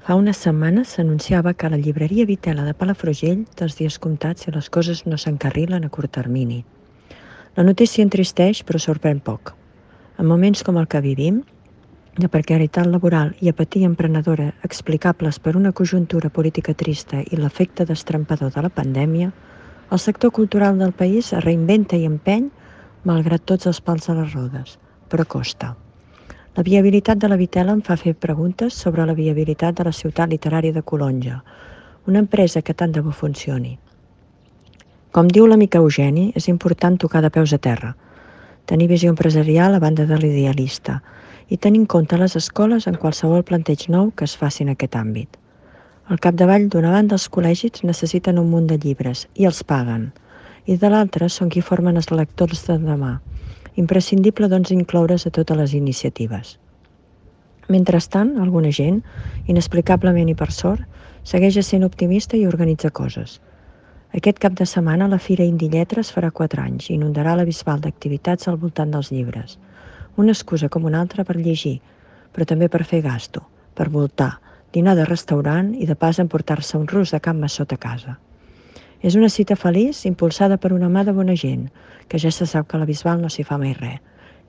Fa unes setmanes s'anunciava que la llibreria Vitela de Palafrugell té els dies comptats si les coses no s'encarrilen a curt termini. La notícia entristeix però sorprèn poc. En moments com el que vivim, de precarietat laboral i apatia emprenedora explicables per una conjuntura política trista i l'efecte destrampador de la pandèmia, el sector cultural del país es reinventa i empeny malgrat tots els pals a les rodes, però costa. La viabilitat de la Vitela em fa fer preguntes sobre la viabilitat de la ciutat literària de Colonja, una empresa que tant de bo funcioni. Com diu l'amic Eugeni, és important tocar de peus a terra, tenir visió empresarial a banda de l'idealista i tenir en compte les escoles en qualsevol planteig nou que es faci en aquest àmbit. Al capdavall, d'una banda, els col·legis necessiten un munt de llibres i els paguen, i de l'altra són qui formen els lectors de demà. Imprescindible, doncs, incloure's a totes les iniciatives. Mentrestant, alguna gent, inexplicablement i per sort, segueix sent optimista i organitza coses. Aquest cap de setmana la Fira Indi Lletres farà 4 anys i inundarà la Bisbal d'activitats al voltant dels llibres. Una excusa com una altra per llegir, però també per fer gasto, per voltar, dinar de restaurant i de pas emportar-se un rus de can Massot a casa. És una cita feliç impulsada per una mà de bona gent, que ja se sap que a la Bisbal no s'hi fa mai res.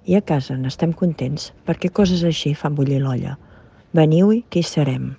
I a casa n'estem contents perquè coses així fan bullir l'olla. Veniu-hi, que hi serem.